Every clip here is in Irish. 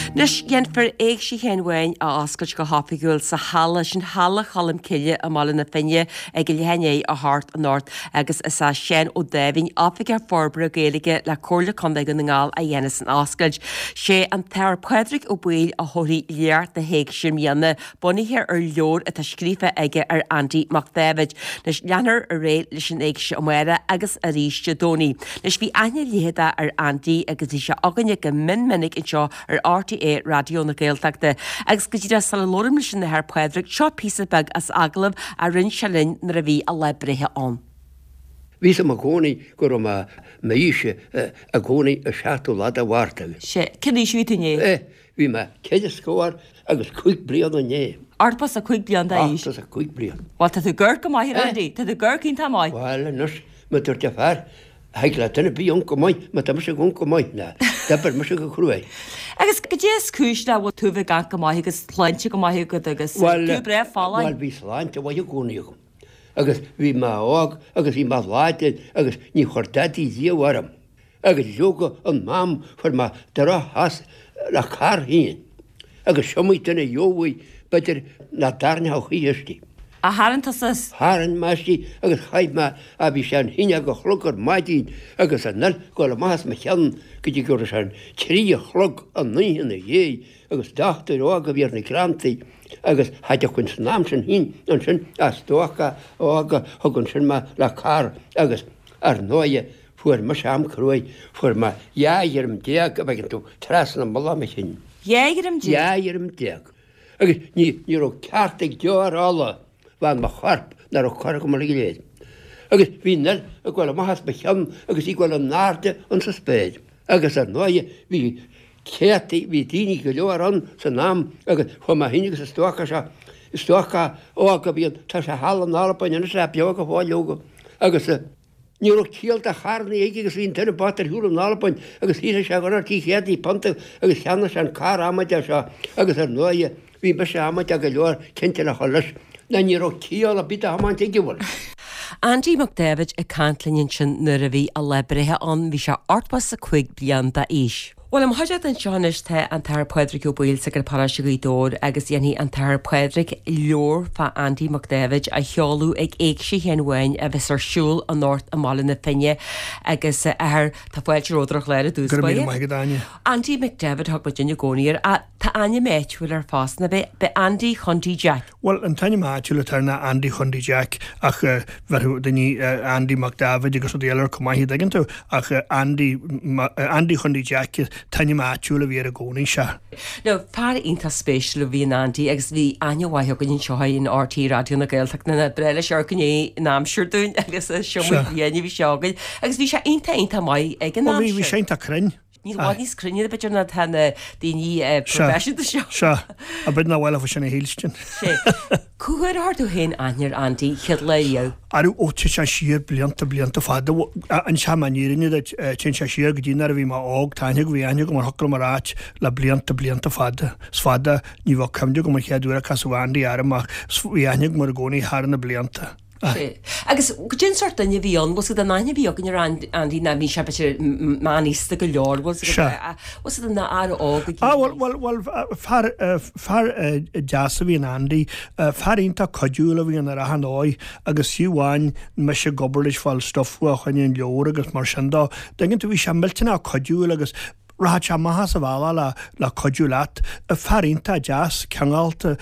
Anois, dhéanfar Éigse Sheáin Bháin a oscailt go hoifigiúil sa halla, sin Halla Cholm Cille i mBaile na Finne ag a leath i ndiaidh a hocht anocht agus is é Seán Ó Dáimhín, Oifigeach Forbartha Gaeilge le Comhairle Contae Dhún na nGall a dhéanfas an oscailt. Sé an tAthair Pádraig Ó Baoill a thabharfaidh léacht na hÉigse i mbliana, bunaithe ar leabhar atá scríofa aige ar Andy Mac Dáibhid. Anois, leanfar ar aghaidh leis an Éigse amárach agus arís Dé Domhnaigh. Anois, bhí aithne leitheadach ar Andy agus bhí sé againne go mion minic anseo ar RTÉ Raidió na Gaeltachta. Agus go díreach sula labhraím leis an Athair Pádraig, seo píosa beag as agallamh a rinne sé linn nuair a bhí a lá breithe ann. Bhí 'fhios a'm i gcónaí go raibh mé m'aois i gcónaí an seachtú lá de Mhárta. Sea, cén aois a bhí tú inné? Bhí mé ceithre scór agus cúig bliana inné. Ochtó is a cúig bliain d'aois. Ochtó is a cúig bliain. Bhuel, tá tú ag amharc go maith, a Andy. Tá tú ag amharc iontach maith. Bhuel, anois, mar a dúirt an fear, thig le duine ar bith amharc go maith, má tá mise ag amharc go maith, ná d'oibir mise go cruaidh. Agus goidé is cúis le bhfuil tú a bheith ag amharc go maith agus sláinte go maith agat agus tú breá folláin? Bhuel, bhí sláinte mhaith i gcónaí agam. Agus bhí mé óg agus bhí mé láidir agus ní chuir dadaí riamh orm. Agus leoga an am fuair mé droch-chás le carr féin agus s'iomaí duine a gheobhaidh b'fhéidir nach dtarraingeodh choíche aisti. A tharraing tusa as? Tharraing mé aisti agus chaith mé, á bhí sé an haon déag a chlog ar maidin agus an fhuil ag dul amach as mo cheann go dtí go raibh sé an trí a chlog an oíche ina dhiaidh agus dochtúir óg a bhí ar na Gleanntaí agus cha dtiocfainn san am sin féin ansin as stócach óg a thug ansin mé le carr agus ar ndóighe Fuair mise am cruaidh, fuair mé 12 dhroim, a bhfeiceann tú, trasna mullach mo chinn. 12 dhroim? 12 dhroim. Agus ní, ní raibh ceart ag deoir fhola bheith in mo chorp nach raibh curtha agam uilig go léir. Agus bhí an fhuil ag goil amach as mo cheann agus í ag goil in airde insa spéir. Agus ar ndóighe bhí céadtaí, bhí daoine go leor ann san am agus chuaigh mé féin agus an stócach seo, stócach óg a bhí ann, tá sé thall in Albain anois, é beo go fóill leoga, agus. Ní raibh ciall do charrannaí aige agus bhí an duine bocht ar shiúl in Albain agus shaothraigh sé go raibh 300 punt agus cheannaigh sé an carr amaideach seo agus ar ndóighe bhí mise amaideach go leor cinnte le chur leis ná ní raibh ciall ar bith do thiomáint aige bhuel. Andy Mac Dáibhid ag caint linn ansin nuair a bhí a lá breithe ann, bhí sé 85 bliain d'aois. Bhuel, i mo chuideachta anseo anois tá an tAthair Pádraig Ó Baoill, Sagart Paróiste Ghaoth Dobhair agus dhéanfaidh an tAthair Pádraig leabhar fá Andy Mac Dáibhid a sheoladh ag Éigse Sheáin Bháin a bheas ar siúl anocht i mBaile na Finne agus a Athair, tá fáilte romhat ar an chlár i dtús Go raibh míle maith agat, Áine. Andy McDevitt a thug muidinne i gcónaí air. Tá ainm áitiúil air fosta, nach ea? B'é Andy Chondy Jack. Bhuel, an t-ainm áitiúil atá air ná Andy Chondy Jack ach bheirfeadh daoine Andy Mac Dáibhid agus rudaí eile air chomh maith, an dtuigeann tú? Ach Andy, Andy Chondy Jack an t-ainm áitiúil a bhí air i gcónaí, sea. Now, fear iontach spéisiúil a bhí in Andy agus bhí aithne mhaith againn anseo in RTÉ Raidió na Gaeltachta ba bhreá leis amharc i ndiaidh an aimsir dúinn agus is iomaí bliain a bhí sé againn agus bhí sé iontach iontach maith ag an aimsir. Bhuel, bhí sé iontach cruinn. I bhfad níos cruinne b'fhéidir ná tá na daoine proifisiúnta seo. Sea, a b'fhéidir nach bhfuil sin a shílstin. Sea. Cá huair a chuir tú féin aithne ar Andy chéad lá riamh? Arú, ó, téann sé siar blianta, blianta fada. Inseoidh mé an fhírinne duit, téann sé siar go dtí nuair a bhí mé óg, tá aithne agam, bhí aithne agam ar thiocfadh liom a ráit le blianta, blianta fada. Is fada, ní bheadh cuimhne agam an chéad uair a casadh Andy orm ach bhí aithne agam air i gcónaí thar na blianta. Sea. Agus goidé an sórt duine a bhí ann, bhfuil 's agat an aithne a bhí againn ar Andy ná bhí sé b'fhéidir meánaosta go leor, bhfuil 's agat, bhfuil 's agat ná fear óg a Ah, bhuel, bhuel, bhuel, fear, fear deas a bhí in Andy, fear iontach cuidiúil a bhí ann ar achan dóigh agus fiú amháin mise ag obair leis fáil stuif fá choinne an leabhair agus mar sin dó, dtuigeann tú, bhí sé millteanach cuidiúil agus Rachadh sé amach as a bhealach le le cuidiú leat. Fear iontach deas, cineálta,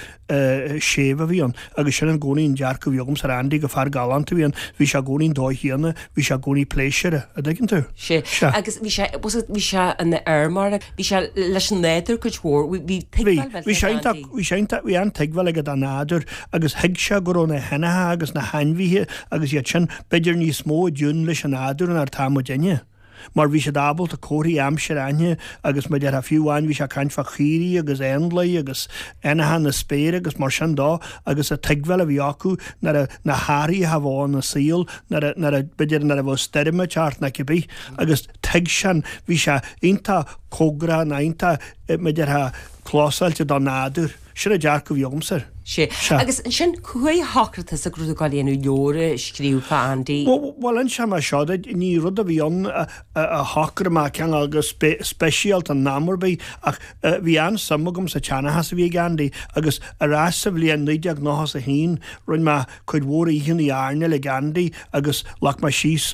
séimh a bhí ann agus sin i gcónaí an dearcadh a bhí agamsa ar Andy, go fear galánta a bhí ann. Bhí sé i gcónaí an dóigh chéanna, bhí sé i gcónaí pléisiúrtha, a' dtuigeann tú? Sea. Sea. Agus bhí sé, bhfuil 's agat, bhí sé ina fheirmeoir, bhí sé leis an nádúr cuid mhór, bhí, bhí tuigbheáil Bhí, bhí sé iontach, bhí sé iontach, bhí an-tuigbheáil aige don nádúr agus thuig sé go raibh na héanacha agus na hainmhithe agus iad sin b'fhéidir níos mó i dtiún leis an nádúr ná atá muidinne. mar bhí siad ábalta comharthaí aimsire a aithne agus mar a déarfá fiú amháin bhí sé ag caint fá chaoirigh agus éanlaith agus éanacha na spéire agus mar sin dó agus an tuigbheáil a bhí acu nuair a na hathruithe a bheadh ina saol nuair a nuair a b'fhéidir nuair a bheadh stoirm ag teacht nó cibé agus thuig sé an bhí sé iontach cóngarach nó iontach mar a déarfá clósáilte don nádúr. Sin an dearcadh a bhí agamsa air. Sea. Agus ansin, cá huair a shocraigh tusa go raibh tú ag dul a dhéanamh leabhar a scríobh fá Andy? Bhuel, inseoidh mé seo duit, ní rud a bhí ann a shocraigh mé cineál go speisialta in am ar bith ach bhí an-suim agam sa tseanchas a bhí ag Andy agus ar ais sa bhliain 1991 rinne mé cuid mhór oícheanna airneáil ag Andy agus ghlac mé síos,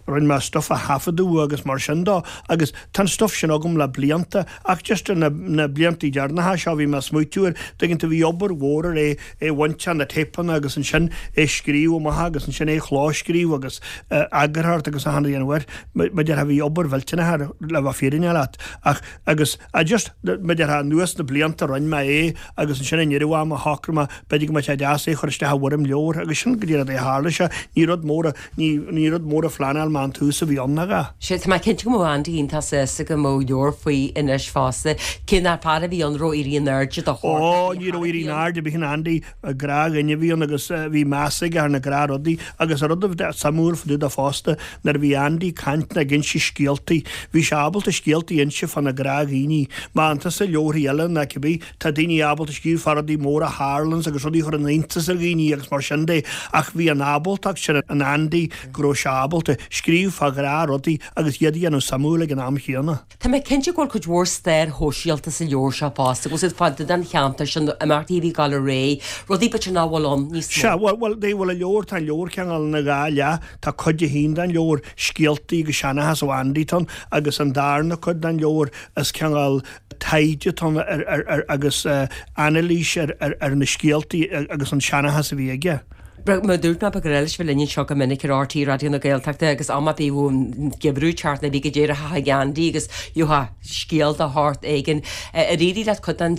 rinne mé stuif a thaifeadadh agus mar sin dó agus tá an stuif sin agam le blianta ach just ar na blianta deireanacha seo bhí mé ag smaoitiú air, tuigeann tú, bhí obair mhór ar é é a bhaint de na téipeanna agus ansin é scríobh amach agus ansin é chlóscríobh agus eagarthóireacht agus achan rud a dhéanamh air, mar a déarfá bhí obair mhillteanach air le bheith fírinneach leat ach agus I just, mar a déarfá anuas na blianta rinne mé é agus ansin i ndeireadh ama shocraigh mé b'fhéidir go mbeadh sé deas é a chur isteach i bhfoirm leabhair agus sin go díreach a tharla sé, ní rud mór a, ní, ní rud mór a phleanáil mé ón tús a bhí ann ach a. Sea, tá mé cinnte go mbeadh Andy iontach sásta go mbeadh leabhar faoi anois fosta. Cé nach fear a bhí ann a raibh éirí in airde do shórt Ó, ní raibh éirí in airde ar bith in Andy, gnáthdhuine a bhí ann agus bhí meas aige ar na gnáthrudaí agus an rud a bhí suimiúil fá dtaobh de fosta, nuair a bhí Andy ag caint nó ag inse scéaltaí, bhí sé ábalta scéaltaí a inse fá na gnáthdhaoine. Má fhaigheann tusa leabharthaí eile ná cibé, tá daoine ábalta scríobh fá rudaí móra a tharlaíonns agus rudaí a chuireann iontas ar dhaoine agus mar sin de ach bhí an ábaltacht sin in Andy go raibh sé ábalta scríobh fá ghnáthrudaí agus iad a dhéanamh suimiúil ag an am chéanna. Tá mé cinnte go bhfuil cuid mhór stair shóisialta sa leabhar seo fosta, go bhfuil siad fá dtaobh den cheantar sin, imeachtaí a bhí ag dul ar aghaidh, rudaí b'fhéidir nach bhfuil ann níos mó. Sea, bhuel, bhuel, bhuel, an leabhar, tá an leabhar cineál ina dhá leath, tá cuid a haon den leabhar, scéaltaí agus seanchas ó Andy atá ann, agus an darna cuid den leabhar, is cineál taighde atá ann ar, ar, ar, agus anailís ar, ar, ar na scéaltaí agus an seanchas a bhí aige. Mar a dúirt mé, ba ghnách leis bheith linn anseo go minic ar RTÉ Raidió na Gaeltachta agus am ar bith a bhíodh an geimhreadh ag teacht nó bhí go díreach chuig Andy agus gheofá scéal de shórt éigin. Ar éirigh leat cuid den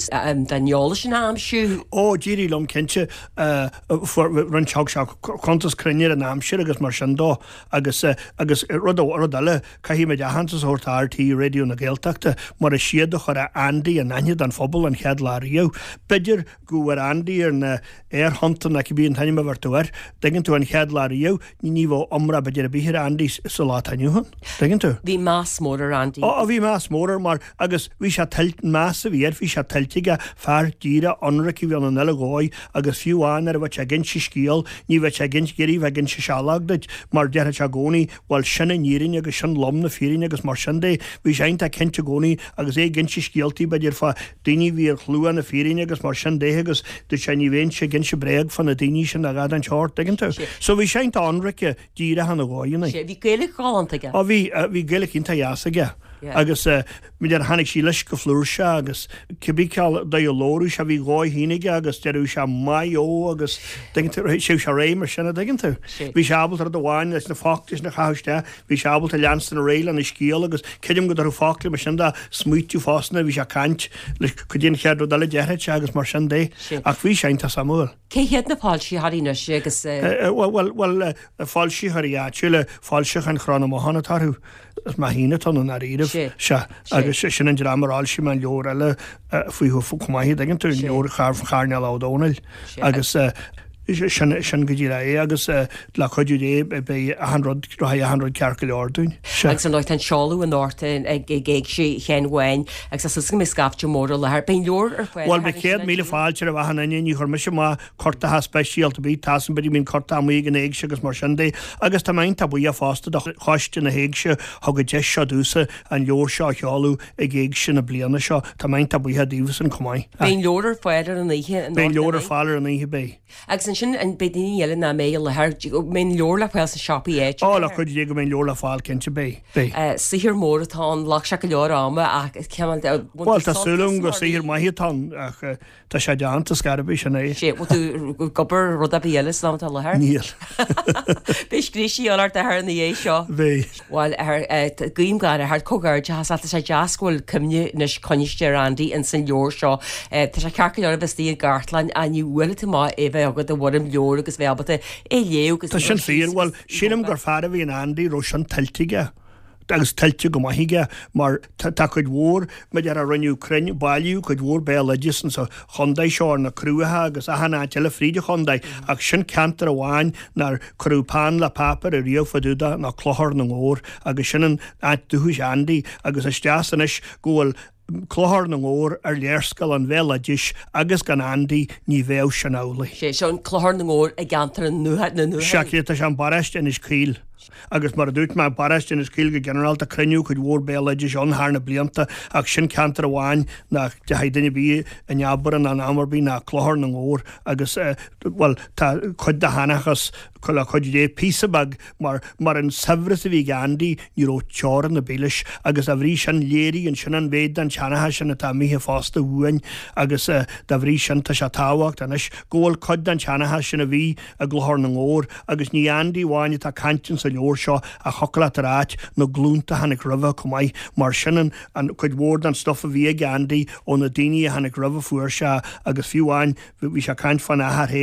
den eolas sin a aimsiú? Ó, d'éirigh liom cinnte. Fuair, rinne, thug sé cuntas cruinn ar an aimsir agus mar sin dó agus agus rud rud eile, caithfidh muid aitheantas a thabhairt do RTÉ Raidió na Gaeltachta mar is iad a chuir Andy in aithne don phobal an chéad lá riamh. B'fhéidir go bhfuair Andy ar na aerthonnta nó cibé an t-ainm a bheir tú air, dtuigeann tú, an chéad lá riamh, ní bheadh iomrá b'fhéidir ar bith ar Andy sa lá atá inniu ann, dtuigeann tú. Bhí meas mór ar Andy. Ó, bhí meas mór air mar, agus bhí sé tuillte, an meas a bhí air, bhí sé tuillte aige, fear díreach, ionraic a bhí ann an uile dhóigh agus fiú amháin nuair a bheadh sé ag inse scéal, ní bheadh sé ag inse, ag iarraidh bheith ag inse seileog duit mar déarfadh sé i gcónaí, bhuel sin an fhírinne agus sin lom na fírinne agus mar sin de, bhí sé iontach cinnte i gcónaí agus é ag inse scéaltaí b'fhéidir fá daoine a bhí ar shlua na fírinne agus mar sin de agus dúirt sé ní bheinnse ag inse bréag fá na daoine sin a dhath den tsórt, tuigeann tú. So bhí sé iontach ionraice díreach ina dhóigheanna. Sea, bhí Gaeilge ghalánta aige. Ó bhí, bhí Gaeilge iontach dheas aige agus b'fhéidir tháinig sí leis go flúirseach agus cibé cineál dóigh a labhradh sé bhí a dhóigh féin aige agus deireadh sé maith eo agus tuigeann tú, théadh sé ar aghaidh mar sin a' dtuigeann tú. Bhí sé ábalta rud amháin leis na focla sin a chaitheamh isteach Bhí sé ábalta leanstan ar aghaidh lena scéal agus creidim go dtabharfadh focla mar sin dó smaoitiú fosta nuair a bhí sé ag caint leis cad é an chéad rud eile a déarfadh sé agus mar sin de. Ach bhí sé iontach suimiúil. Cé hiad na foilsitheoirí anois agus. Bhuel, bhuel, foilsitheoirí áitiúla, Foilseacháin Chró na mBothán atá orthu. Is mé féin atá ann i ndáiríribh. Sea. Agus sin an dream ar fhoilsigh mé an leabhar eile fúthu chomh maith, an dtuigeann tú, an leabhar Choirnéal Ó Domhnaill. Agus sin, sin go díreach é agus le cuidiú Dé beidh achan rud, rachaidh achan rud ceart go leor dúinn. Sea. Agus ar ndóigh tá an seoladh anocht ag Éigse Sheáin Bháin agus tá súil go mbeidh scaifte mór i láthair. Beidh an leabhar ar fáil Bhuel, beidh 100,000 fáilte roimh achan duine, ní chuir mise amach cuartacha speisialta ar bith, tá san, b'fhéidir go mbíonn cuartach amuigh ag an Éigse agus mar sin de agus tá mé iontach buíoch fosta do choiste na hÉigse thug an deis seo domhsa an leabhar seo a sheoladh ag Éigse na bliana seo. Tá mé iontach buíoch daoibhsean chomh maith. Beidh an leabhar ar fáil ar an oíche Beidh an leabhar ar fáil ar an oíche, beidh. Agus ansin, an beidh daoine eile nach mbeidh i láthair, mbeidh an leabhar le fáil sna siopaí áitiúla? Ó, le cuidiú Dé go mbeidh an leabhar le fáil, cinnte, beidh. Beidh. Saothar mór atá ann, ghlac sé go leor ama ach cineál de. Bhuel, tá súil agam gur saothar maith atá ann ach Tá sé déanta, scor ar bith, sin é. Sea, bhfuil tú ag obair ar rud ar bith eile san am atá i láthair? Níl. Beidh scríosaí ann ort athair ina dhiaidh seo. Beidh. Bhuel, athair, guím gach rath ort, comhghairdeachas leat, tá sé deas go bhfuil cuimhne anois coinniste ar Andy ins an leabhar seo. Tá sé ceart go leor a bheith istigh i gcartlann ach ní bhuailfidh tú amach é bheith agat i bhfoirm leabhair agus bheith ábalta é a léamh agus Tá sin fíor. Bhuel, sílim gur fear a bhí in Andy, raibh sin tuillte aige. agus tuillte go maith aige mar tá cuid mhór, mar a déarfá rinneadh cruinn, bailíodh cuid mhór béaloideas insa chontae seo ar na Cruacha agus achan áit eile fríd an chontae ach sin ceantar amháin nár cuireadh peann le páipéar ariamh fá dtaobh de ná Clochar na nGabhar agus sin an áit dúchais Andy agus is deas anois go bhfuil. Clochar na nGabhar ar léarscáil an bhéaloidis agus gan Andy ní bheadh sin amhlaidh. Sé seo an Clochar na nGabhar i gceantar na nDúthaí. Sea, tá sé i bparóiste Inis Caoil. Agus mar a dúirt mé, paróiste Inis Caoil go ginearálta, cruinníodh cuid mhór béaloidis ann thar na blianta ach sin ceantar amháin nach dteachaigh duine ar bith in abar ann in am ar bith ná Clochar na nGabhar agus, bhuel, tá cuid de sheanchas le cuid de, píosa beag, mar, mar an saibhreas a bhí ag Andy, ní raibh teorainn ar bith leis agus dá bhrí sin léiríonn sin an mhéid den tseanchas sin atá imithe fosta uainn agus dá bhrí sin tá sé tábhachtach anois go bhfuil cuid den tseanchas sin a bhí i gClochar na nGabhar agus ní Andy amháin atá ag caint insa leabhar seo ach thiocfadh leat a ráit na glúnta a tháinig roimhe chomh maith mar sin an, an cuid mhór den stuif a bhí ag Andy ó na daoine a tháinig roimhe a fuair sé agus fiú amháin bhí sé ag caint fána athair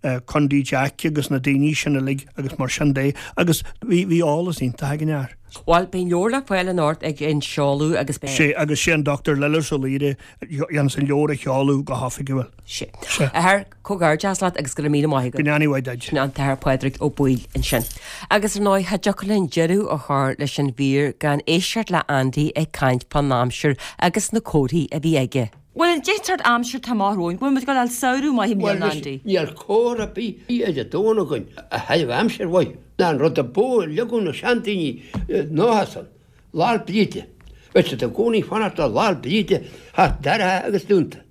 féin Condy Jack agus na daoine sin uilig agus mar sin de agus bhí, bhí eolas iontach ag an fhear. Bhuel, beidh an leabhar le fáil anocht ag an seoladh agus beidh. Sea, agus sé an Dr Lillis Ó Laoire a dhéanfas an leabhar a sheoladh go hoifigiúil. Sea. Sea. A Athair, comhghairdeas leat agus go raibh míle maith agat. Go ndéana a mhaith duit. Sin an tAthair Pádraig Ó Baoill ansin. Agus ar ndóigh, cha dtiocfadh linn deireadh a chur leis an mhír gan éisteacht le Andy ag caint fán aimsir agus na comharthaí a bhí aige. Bhuel, an dé sórt aimsir atá amach romhainn, bhfuil muid ag dul a fháil samhradh maith i mbliana, Andy? Níl comhartha ar bith ar an domhan againn a thairfeadh aimsir mhaith ná an rud a ba mhó a leagadh na seandaoine nócha san, Lá'l Bríde. Bheadh siad i gcónaí ag fanacht le Lá'l Bríde theacht dorcha agus dúnta.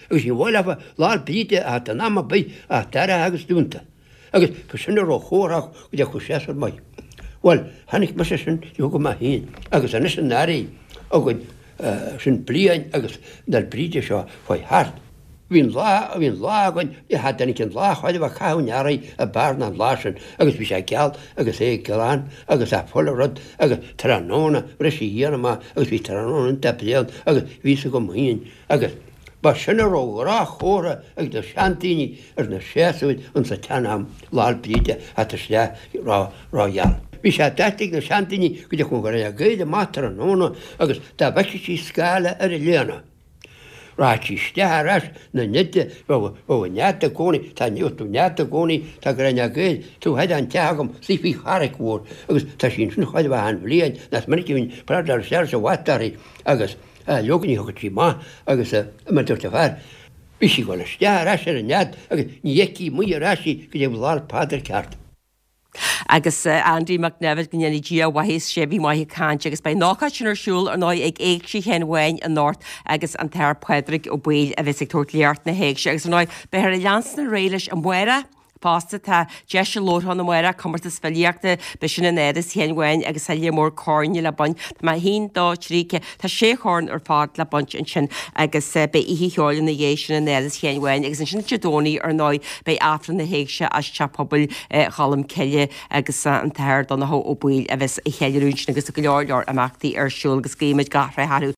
Agus ní mhaith leofa Lá'l Bríde a theacht in am ar bith ach dorcha agus dúnta. Agus ba sin a raibh chomhartha go dtiocfadh séasúr maith. Bhuel, chonaic mise sin de mo féin agus anois an earraigh againn sin bliain agus an Fhéil Bríde seo chuaigh thart. Bhí an lá, bhí an lá againn, cha dtáinig an lá chóir a bheith ag caitheamh an earraigh ab fhearr ná an lá sin agus bhí sé geal agus é glan agus a' chuile rud agus tráthnóna bhris an ghrian amach agus bhí tráthnóna iontach bréan agus bhí fhios agam féin agus ba sin a raibh gnáthchomhartha ag na seandaoine ar na séasúir insa tsean-am, Lá'l Bríde a theacht isteach ró-gheal. Bhí sé deirte ag na seandaoine go dtiocfadh an ghrian gaoth amach tráthnóna agus dá bhfeicfeadh sí scáile ar an léana, rachadh sí isteach ar ais 'na nead, bheadh an nead i gcónaí, tá an nead i gcónaí, tá gráinne gaoth taobh thoir den teach agam, suí faoi charraic mhór agus tá sí ansin chóir a bheith achan bhliain, nach minic a bhíonn prátaí isteach sa bhat uirthi agus leoga ní thiocfadh sí amach agus mar a dúirt an fear, Bhí sí ag dul isteach ar ais ar an nead agus ní fheicfí amuigh ar ais í go dtí Lá'l Pádraig ceart. Agus Andy Mac Neimhid, go ndéana Dia a mhaitheas, sé bhí maith ag caint agus beidh an ócáid sin ar siúl ar ndóigh ag Éigse Sheáin Bháin anocht agus an tAthair Pádraig Ó Baoill a bheas ag tabhairt léacht na hÉigse agus ar ndóigh beifear ag leanstan ar aghaidh leis amárach fosta. Tá deis labhartha ann amárach, comórtas filíochta, beidh sin in Áras Sheáin Bháin agus tá lear mór corn le baint. Tá mé 1, 2, 3, 4, tá sé chorn ar fad le baint ansin agus beidh oíche cheoil ina dhiaidh sin in Áras Sheáin Bháin agus ansin Dé Domhnaigh ar ndóigh beidh Aifreann na hÉigse as Teach Pobail Cholm Cille agus an tAthair Donnchadh Ó Baoill a bheas ag ceiliúradh ansin agus go leor leor imeachtaí ar siúl agus guímid gach rath orthu.